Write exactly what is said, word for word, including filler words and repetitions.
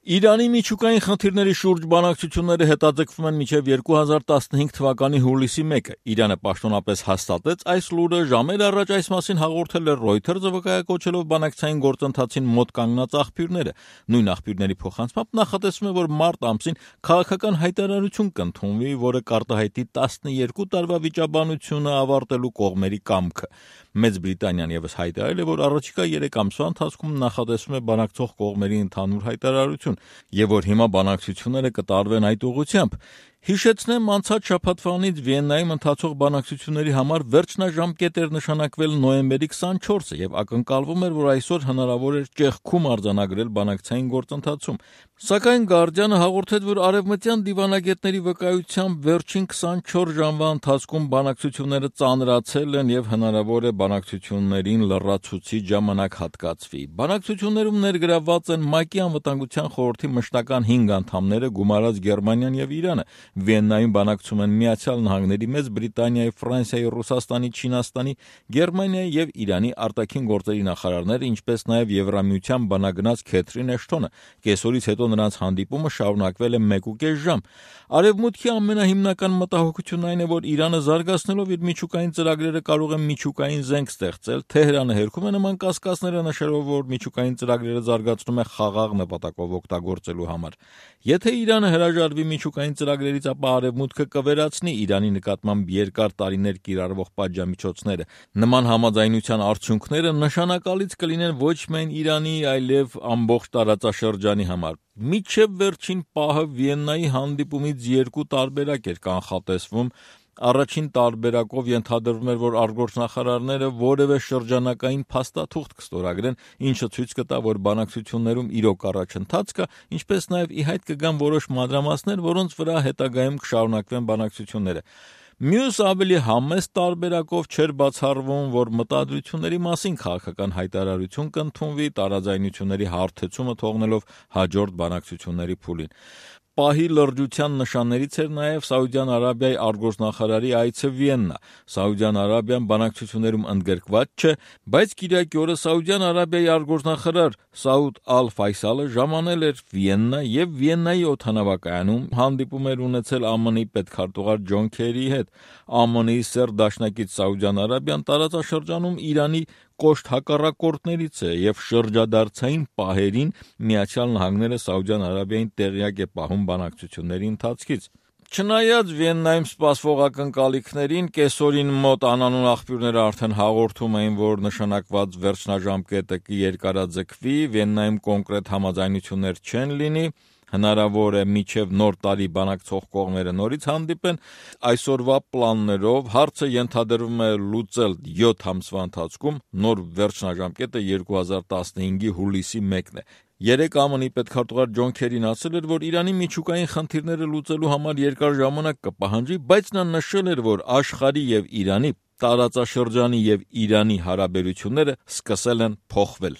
Իրանի միջուկային խնդիրների շուրջ բանակցությունները հետաձգվում են մինչև երկու հազար տասնհինգ թվականի հուլիսի մեկը։ Իրանը պաշտոնապես հաստատեց այս լուրը, ժամեր առաջ այս մասին հաղորդել է Reuters-ը, վկայակոչելով բանակցային գործընթացին մոտ կանգնած աղբյուրները։ Նույն աղբյուրների փոխանցմամբ նախատեսվում է, որ մարտ ամսին քաղաքական հայտարարություն կընդունվի, որը կարտահայտի տասնյոթ տարվա վիճաբանությունը ավարտելու կողմերի կամքը։ Մեծ Բրիտանիան ևս հայտարարել է, որ առաջիկա երեք ամսվա ընթացքում նախատեսվում է բանակցող կողմերի ընդհանուր հայտարարություն, եւ որ հիմա բանակցությունները կտարվեն այդ ուղղությամբ։ Հիշեցնեմ, անցած շաբաթվանից Վիեննայում ընթացող բանակցությունների համար վերջնաժամկետ էր նշանակվել նոյեմբերի քսանչորսը եւ ակնկալվում էր, որ այսօր հնարավոր էր ճեղքում արձանագրել բանակցային գործընթացում։ Սակայն Guardian-ը հաղորդեց, որ արևմտյան դիվանագետների վկայությամբ վերջին քսանչորս ժամվա ընթացքում բանակցությունները ծանրացել են եւ հնարավոր է բանակցություններին լրացուցիչ ժամանակ հատկացվի։ Բանակցություններում ներգրավված են ՄԱԿ-ի անվտանգության խորհրդի մշտական հինգ անդամները, գումարած Գերմանիան եւ Իրանը։ Վիեննայում բանակցում են Միացյալ Նահանգների, Մեծ Բրիտանիայի, Ֆրանսիայի, Ռուսաստանի, Չինաստանի, Գերմանիայի եւ Իրանի արտաքին գործերի նախարարները, ինչպես նաեւ Եվրամիության բանագնաց Քեթրին Էշթոնը։ Կեսօրից հետո նրանց հանդիպումը շարունակվել է մեկ ու կես ժամ։ Արևմուտքի ամենահիմնական մտահոգությունն այն է, որ Իրանը զարգացնելով իր միջուկային ծրագրերը կարող է միջուկային զենք ստեղծել։ Թեհրանը հերքում է նման կասկածները, նշելով, որ միջուկային ծրագրերը զարգացնում է խաղաղ նպատակով օգտագործելու համար։ Եթե Իրանը հրաժարվի միջուկային ծրագրերից, ապա Արևմուտքը կվերացնի Իրանի նկատմամբ երկար տարիներ կիրառվող պատժամիջոցները։ Նման համաձայնության արդյունքները նշանակալից կլինեն ոչ միայն Իրանի, այլև ամբողջ տարածաշրջանի համար։ Մինչև վերջին պահը Վիեննայի հանդիպումից երկու տարբերակ էր կանխատեսվում։ Առաջին տարբերակով ենթադրվում էր, որ արտգործնախարարները որևէ շրջանակային փաստաթուղթ կստորագրեն, ինչը ցույց կտա, որ բանակցություններում իրոք առաջընթաց կա, ինչպես նաև ի հայտ կգան որոշ մանրամասներ, որոնց վրա հետագայում կշարունակվեն բանակցությունները։ Մյուս ավելի համեստ տարբերակով չէր բացառվում, որ մտադրությունների մասին քաղաքական հայտարարություն կընդունվի, տարաձայնությունների հարթեցումը թողնելով հաջորդ բանակցությունների փուլին։ Պահի լրջության նշաններից էր նաև Սաուդյան Արաբիայի արտգործնախարարի այցը Վիեննա։ Սաուդյան Արաբիան բանակցություններում ընդգրկված չէ, բայց կիրակի օրը Սաուդյան Արաբիայի արտգործնախարար Սաուդ Ալ-Ֆայսալը ժամանել էր Վիեննա եւ Վիեննայի օդանավակայանում հանդիպում էր ունեցել ԱՄՆ-ի պետքարտուղար Ջոն Քերիի հետ։ ԱՄՆ-ի սերտ դաշնակից Սաուդյան Արաբիան տարածաշրջանում Իրանի կոշտ հակառակորդներից է եւ շրջադարձային պահերին Միացյալ Նահանգները Սաուդյան Արաբիային տեղյակ է պահում բանակցությունների ընթացքից։ Չնայած Վիեննայում սպասվող ակնկալիքներին, կեսօրին մոտ անանուն աղբյուրները արդեն հաղորդում էին, որ նշանակված վերջնաժամկետը կերկարաձգվի, Վիեննայում կոնկրետ համաձայնություններ չեն լինի, հնարավոր է մինչև նոր տարի բանակցող կողմերը նորից հանդիպեն։ Այսօրվա պլաններով հարցը ենթադրվում է լուծել յոթ ամսվա ընթացքում, նոր վերջնաժամկետը երկու հազար տասնհինգի հուլիսի մեկն է։ Երեկ ԱՄՆ-ի պետքարտուղար Ջոն Քերին ասել էր, որ Իրանի միջուկային խնդիրները լուծելու համար երկար ժամանակ կպահանջի, բայց նա նշել էր, որ աշխարհի եւ Իրանի, տարածաշրջանի եւ Իրանի հարաբերությունները սկսել են փոխվել։